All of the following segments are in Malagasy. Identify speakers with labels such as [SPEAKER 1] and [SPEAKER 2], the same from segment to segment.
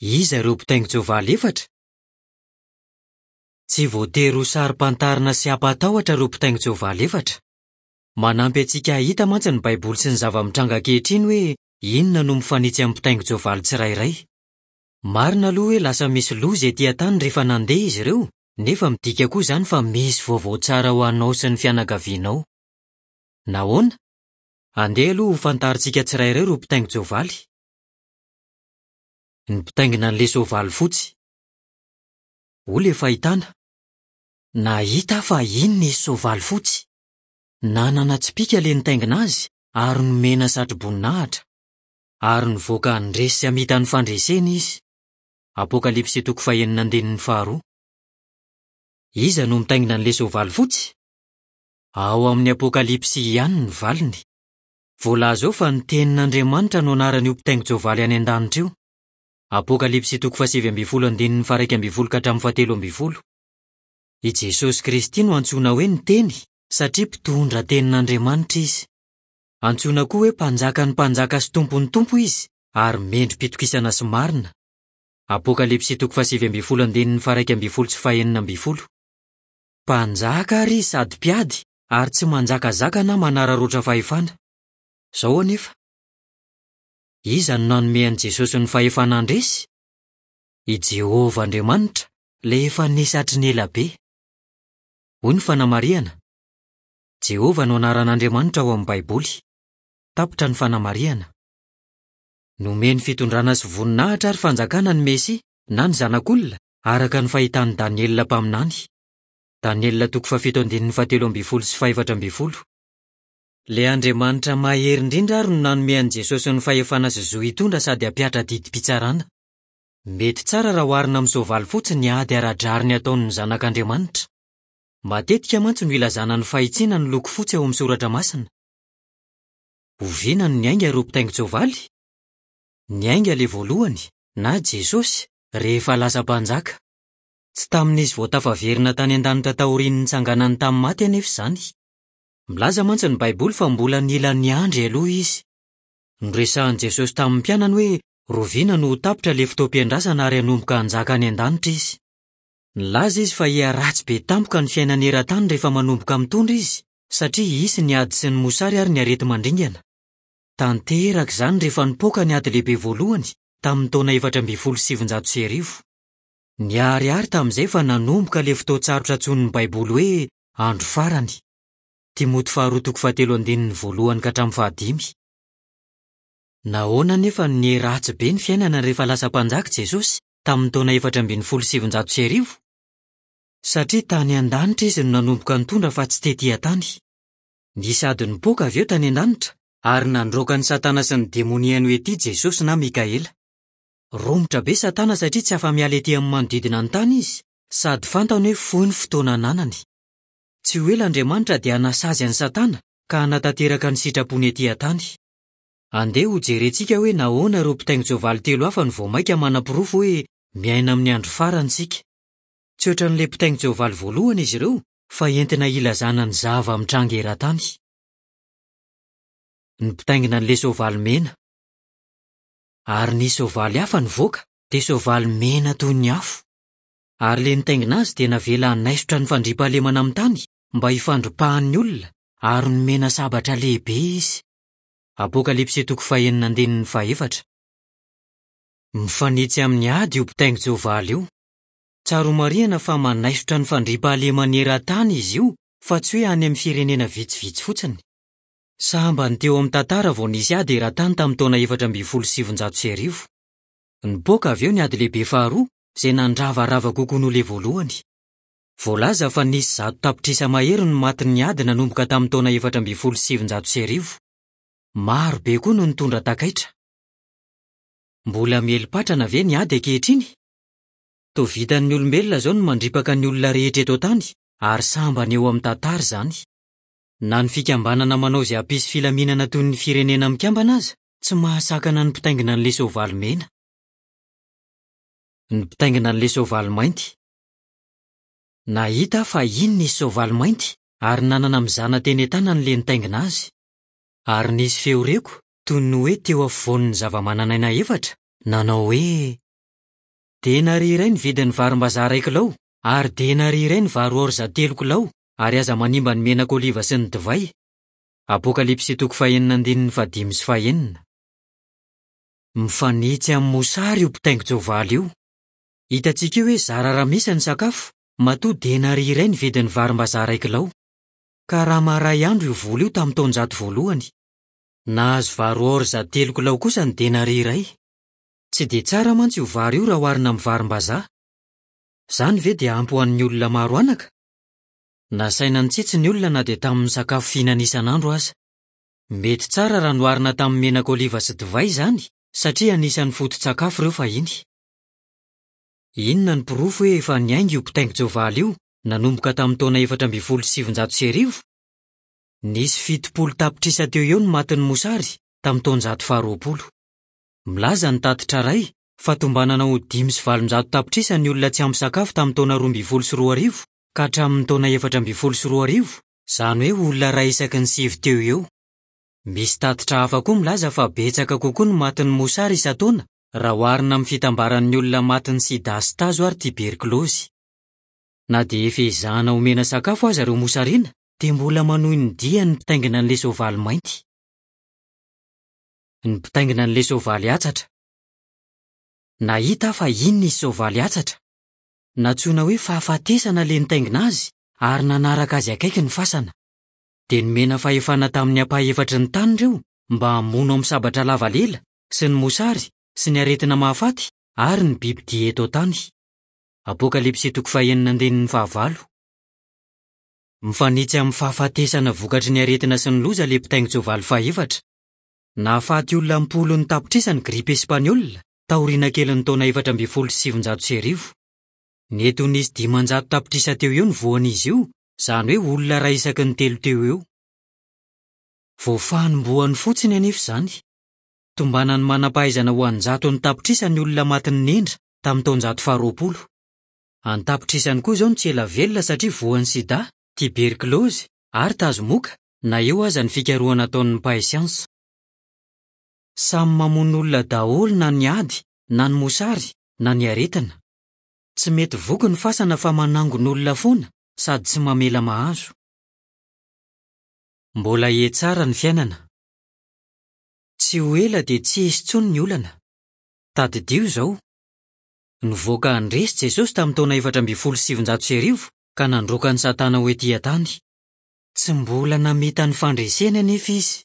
[SPEAKER 1] Iza ireo mpitaingin-tsoavaly efatra? Tsy voatery ho saro-pantarina sy hampatahotra ireo mpitaingin-tsoavaly efatra. Manampy antsika hahita mantsy ny Baiboly sy ny zava-mitranga ankehitriny hoe inona no mifanitsy amin'ny mpitaingin-tsoavaly tsirairay. Marina aloha hoe lasa misy loza etỳ an-tany rehefa nandeha izy ireo, nefa midika koa izany fa misy vaovao tsara ho anao sy ny fianakavianao. Nahoana? Andeha aloha hofantarintsika tsirairay ireo mpitaingin-tsoavaly. Ny mpitaingina an'ilay soavaly fotsy. Hoy ilay fahitana, Nahita aho fa iny nisy soavaly fotsy. Nanana tsipìka ilay nitaingina azy ary nomena satroboninahitra. Ary nivoaka handresy sy hamita ny fandresena izy. Apokalypsy toko fahenina andininy faharoa. Iza no mitaingina an'ilay soavaly fotsy? Ao amin'ny Apokalypsy ihany ny valiny. Voalaza ao fa ny Tenin'Andriamanitra no anaran'io mpitaingin-tsoavaly any an-danitra io. Apokalypsy toko fahasivy ambin'ny folo andininy faha-iraika ambin'ny folo ka hatramin'ny fahatelo ambin'ny folo. I Jesosy Kristy no antsoina hoe ny Teny satria mpitondra tenin'Andriamanitra izy. Antsoina koa hoe Mpanjakan'ny mpanjaka sy Tompon'ny tompo izy ary mendri-pitokisana sy marina. Apokalypsy toko fahasivy ambin'ny folo andininy faha-iraika ambin'ny folo sy fahenina ambin'ny folo. Mpanjaka àry izy sady mpiady ary tsy manjakazaka na manararaotra fahefana. Izao anefa, iza no nanome an'i Jesosy ny fahefana handresy? I Jehovah Andriamanitra, ilay efa nisy hatry ny ela be. Hoy ny fanamarihana, Jehovah no anaran'Andriamanitra ao amin'ny Baiboly. Tapitra ny fanamarihana. Nomeny fitondrana sy voninahitra ary fanjakana ny Mesia, na ny Zanak'olona, araka ny fahitan'i Daniela mpaminany. Daniela toko fahafito andininy fahatelo ambin'ny folo sy fahefatra ambin'ny folo. Ilay Andriamanitra Mahery Indrindra àry no nanome an'i Jesosy ny fahefana sy zo hitondra sady hampihatra didim-pitsarana. Mety tsara raha oharina amin'ny soavaly fotsy ny ady ara-drariny ataon'ny Zanak'Andriamanitra. Matetika mantsy no ilazana ny fahitsiana ny loko fotsy ao amin'ny Soratra Masina. Oviana no niainga ireo mpitaingin-tsoavaly? Niainga ilay voalohany, na Jesosy, rehefa lasa Mpanjaka. Tsy tamin'izy vao tafaverina tany an-danitra taorian'ny nitsanganany tamin'ny maty anefa izany. Milaza mantsy ny Baiboly fa mbola nila niandry aloha izy. Noresahin'i Jesosy tamin'ny mpianany hoe roviana no ho tapitra ilay fotoam-piandrasana ary hanomboka hanjaka any an-danitra izy. Nilaza izy fa hiharatsy be tampoka ny fiainana eran-tany rehefa manomboka mitondra izy, satria hisy ny ady sy ny mosary ary ny areti-mandringana. Tanteraka izany rehefa nipoaka ny Ady Lehibe Voalohany, tamin'ny taona 1914. Niharihary tamin'izay fa nanomboka ilay fotoan-tsarotra antsoin'ny Baiboly hoe andro farany. Timoty faharoa toko fahatelo andininy voalohany ka hatramin'ny fahadimy. Nahoana anefa no niharatsy be ny fiainana rehefa lasa Mpanjaka i Jesosy, tamin'ny taona 1914? Satria tany an-danitra izy no nanomboka nitondra fa tsy tetỳ an-tany. Nisy ady nipoaka avy eo tany an-danitra, ary nandroaka an'i Satana sy ny demoniany ho etỳ Jesosy na Mikaela. Romotra be Satana satria tsy afa-miala ety amin'ny manodidina ny tany izy, sady fantany hoe fohy ny fotoana ananany. Tsy ho ela Andriamanitra dia hanasazy an'i Satana ka hanatanteraka ny sitrapony ety an-tany. Andeha hojerentsika hoe nahoana ireo mpitaingin-tsoavaly telo hafa no vao mainka manaporofo hoe miaina amin'ny andro farany isika. Tsy hoatran'ilay mpitaingin-tsoavaly voalohany izy ireo fa entina hilazana ny zava-mitranga eran-tany. Ny mpitaingina an'ilay soavaly mena. Ary nisy soavaly hafa nivoaka, dia soavaly mena toy ny afo. Ary ilay nitaingina azy dia navela hanaisotra ny fandriampahalemana amin'ny tany mba hifandripahan'ny olona, ary nomena sabatra lehibe izy. Apokalypsy toko fahenina andininy fahefatra. Mifanitsy amin'ny ady io mpitaingin-tsoavaly io. Tsara homarihana fa manaisotra ny fandriampahalemana eran-tany izy io fa tsy hoe any amin'ny firenena vitsivitsy fotsiny. Sambany teo amin'ny tantara vao nisy ady eran-tany tamin'ny taona 1914. Nipoaka avy eo ny Ady Lehibe Faharoa, izay nandravarava kokoa noho ilay voalohany. Voalaza fa nisy 100 tapitrisa mahery no matin'ny ady nanomboka tamin'ny taona 1914. Maro be koa no nitondra takaitra. Mbola miely patrana ve ny ady ankehitriny? Toa vitan'ny olombelona izao ny mandripaka ny olona rehetra eto an-tany, ary sambany eo amin'ny tantara izany. Na ny fikambanana manao izay hampisy filaminana toy ny Firenena Mikambana aza tsy mahasakana ny mpitaingina an'ilay soavaly mena. Ny mpitaingina an'ilay soavaly mainty. Nahita aho fa iny nisy soavaly mainty ary nanana mizana teny an-tanany ilay nitaingina azy. Ary nisy feo reko toy ny hoe teo afovoan'ny zavamananaina efatra, nanao hoe. Denaria iray ny vidin'ny varimbazaha iray kilao, ary denaria iray ny vary orza telo kilao, ary aza manimba ny menaka oliva sy ny divay. Apokalypsy toko fahenina andininy fahadimy sy fahenina. Mifanitsy amin'ny mosary io mpitaingin-tsoavaly io. Hitantsika eo hoe zara raha misy ny sakafo, matoa denaria iray ny vidin'ny varimbazaha iray kilao. Karama iray andro io vola io tamin'ny taonjato voalohany. Nahazo vary orza telo kilao kosa ny denaria iray. Tsy dia tsara mantsy io vary io raha oharina amin'ny varimbazaha. Izany ve dia ampy ho an'ny olona maro anaka? Nasaina nitsitsy ny olona na dia tamin'ny sakafo fihinana isan'andro aza. Mety tsara raha noharina tamin'ny menaka oliva sy divay izany satria anisan'ny foto-tsakafo ireo fahiny. Inona no porofo hoe efa niainga io mpitaingin-tsoavaly io nanomboka tamin'ny taona 1914? Nisy 70 tapitrisa teo eo ny matin'ny mosary tamin'ny taonjato faharoapolo. Milaza ny tatitra iray fa tombanana ho 805 tapitrisa ny olona tsy ampy sakafo tamin'ny taona 2012 ka hatramin'ny taona 2014, izany hoe olona iray isaky ny sivy teo ho eo. Misy tatitra hafa koa milaza fa betsaka kokoa ny matin'ny mosary isan-taona raha oharina amin'ny fitambaran'ny olona matin'ny sida sy tazo ary tiberkilaozy. Na dia efa ezahana omena sakafo aza ireo mosariana dia mbola manohy ny diany ny mpitaingina an'ilay soavaly mainty. Ny mpitaingina an'ilay soavaly hatsatra. Nahita aho fa iny nisy soavaly hatsatra. Nantsoina hoe fahafatesana ilay nitaingina azy ary nanaraka azy akaiky ny fasana. Dia nomena fahefana tamin'ny ampahefatry ny tany ireo mba hamono amin'ny sabatra lava lela sy ny mosary sy ny aretina mahafaty ary ny bibidia eto an-tany. Apokalypsy toko fahenina andininy fahavalo. Mifanitsy amin'ny fahafatesana vokatry ny aretina sy ny loza ilay mpitaingin-tsoavaly fahefatra. Nahafaty olona am-polony tapitrisa ny gripa espaniola taoriana kelin'ny taona 1914. Nety ho nisy 500 tapitrisa teo ho eo ny voan'izy io, izany hoe olona iray isaky ny telo teo ho eo. Vao fanombohany fotsiny anefa izany. Tombanan'ny manam-pahaizana ho an-jatony tapitrisa ny olona matin'ny nendra tamin'ny taonjato faharoapolo. An-tapitrisany koa izao no tsy ela velona satria voan'ny sida, tiberkilaozy ary tazomoka na eo aza ny fikarohana ataon'ny mpahay siansa. Samy mamono olona daholo na ny ady na ny mosary na ny aretina. Tsy mety voky ny fasana fa manangona olona foana sady tsy mamela mahazo. Mbola hihatsara ny fiainana. Tsy ho ela dia tsy hisy intsony ny olana. Tadidio izao, Nivoaka handresy Jesosy tamin'ny taona 1914 ka nandroaka an'i Satana ho etỳ an-tany. Tsy mbola namita ny fandreseny anefa izy.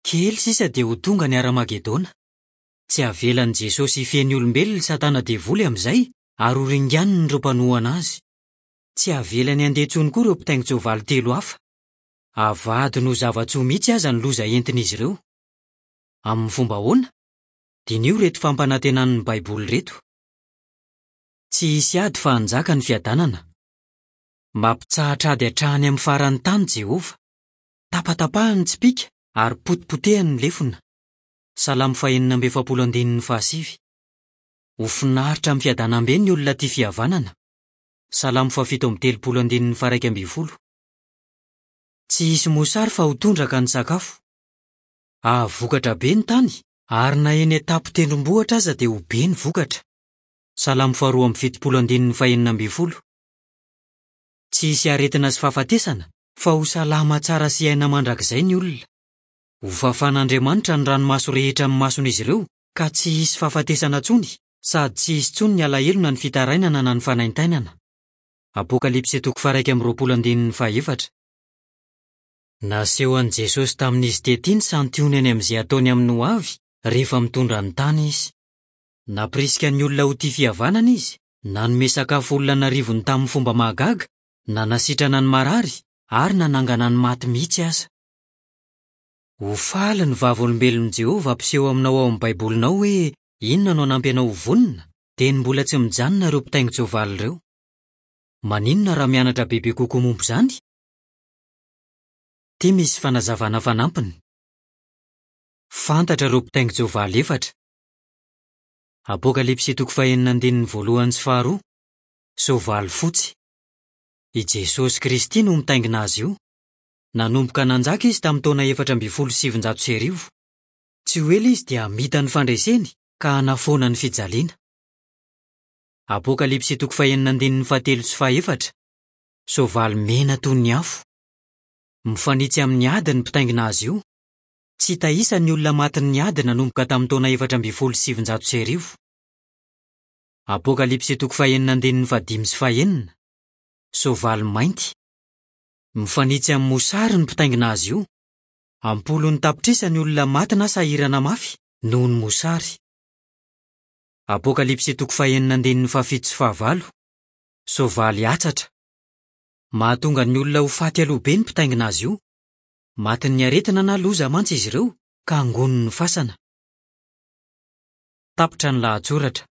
[SPEAKER 1] Kely sisa dia ho tonga ny Haramagedona. Tsy havelan'i Jesosy hifehy ny olombelona i Satana Devoly amin'izay ary horinganiny ireo mpanohana azy. Tsy havelany handeha intsony koa ireo mpitaingin-tsoavaly telo hafa. Havadiny ho zava-tsoa mihitsy aza ny loza entin'izy ireo. Amin'ny fomba ahoana? Diniho ireto fampanantenan'ny Baiboly ireto. Tsy hisy ady fa hanjaka ny fiadanana. Mampitsahatra ady hatrany amin'ny faran'ny tany Jehovah. Tapatapahany ny tsipìka ary potipotehany ny lefona. Salamo fahenina amby efapolo andininy fahasivy. Ho finaritra amin'ny fiadanam-be ny olona tia fihavanana. Salamo fahafito amby telopolo andininy faha-iraika ambin'ny folo. Tsy hisy mosary fa ho tondraka ny sakafo. Hahavokatra be ny tany, ary na eny an-tampon-tendrombohitra aza dia ho be ny vokatra. Salamo faharoa amby fitopolo andininy fahenina ambin'ny folo. Tsy hisy aretina sy fahafatesana, fa ho salama tsara sy hiaina mandrakizay ny olona. Hofafan'Andriamanitra ny ranomaso rehetra amin'ny mason'izy ireo, ka tsy hisy fahafatesana intsony, sady tsy hisy intsony ny alahelo na ny fitarainana na ny fanaintainana. Apokalypsy toko faha-21 andininy fahaefatra. Naseho an'i Jesosy tamin'izy tetỳ ny santionany amin'izay hataony amin'ny hoavy rehefa mitondra ny tany izy. Nampirisika ny olona ho tia fihavanana izy, nanome sakafo olona an'arivony tamin'ny fomba mahagaga, nanasitrana ny marary, ary nanangana ny maty mihitsy aza. Ho faly ny Vavolombelon'i Jehovah hampiseho aminao ao amin'ny Baibolinao hoe inona no hanampy anao ho vonona, dieny mbola tsy mijanona ireo mpitaingin-tsoavaly ireo. Maninona raha mianatra bebe kokoa momba izany? Ity misy fanazavana fanampiny. Fantatra ireo mpitaingin-tsoavaly efatra. Apokalypsy toko fahenina andininy voalohany sy faharoa, Soavaly fotsy. I Jesosy Kristy no mitaingina azy io. Nanomboka nanjaka izy tamin'ny taona 1914. Tsy ho ela izy dia hamita ny fandreseny ka hanafoana ny fijaliana. Apokalypsy toko fahenina andininy fahatelo sy fahefatra, Soavaly mena toy ny afo. Mifanitsy amin'ny ady ny mpitaingina azy io. Tsy hita isa ny olona matin'ny ady nanomboka tamin'ny taona 1914. Apokalypsy toko fahenina andininy fahadimy sy fahenina, Soavaly mainty. Mifanitsy amin'ny mosary ny mpitaingina azy io. Am-polony tapitrisa ny olona maty na sahirana mafy noho ny mosary. Apokalypsy toko fahenina andininy fahafito sy fahavalo, Soavaly hatsatra. Mahatonga ny olona ho faty aloha be ny mpitaingina azy io. Matin'ny aretina na loza mantsy izy ireo ka angonin'ny fasana. Tapitra ny lahatsoratra.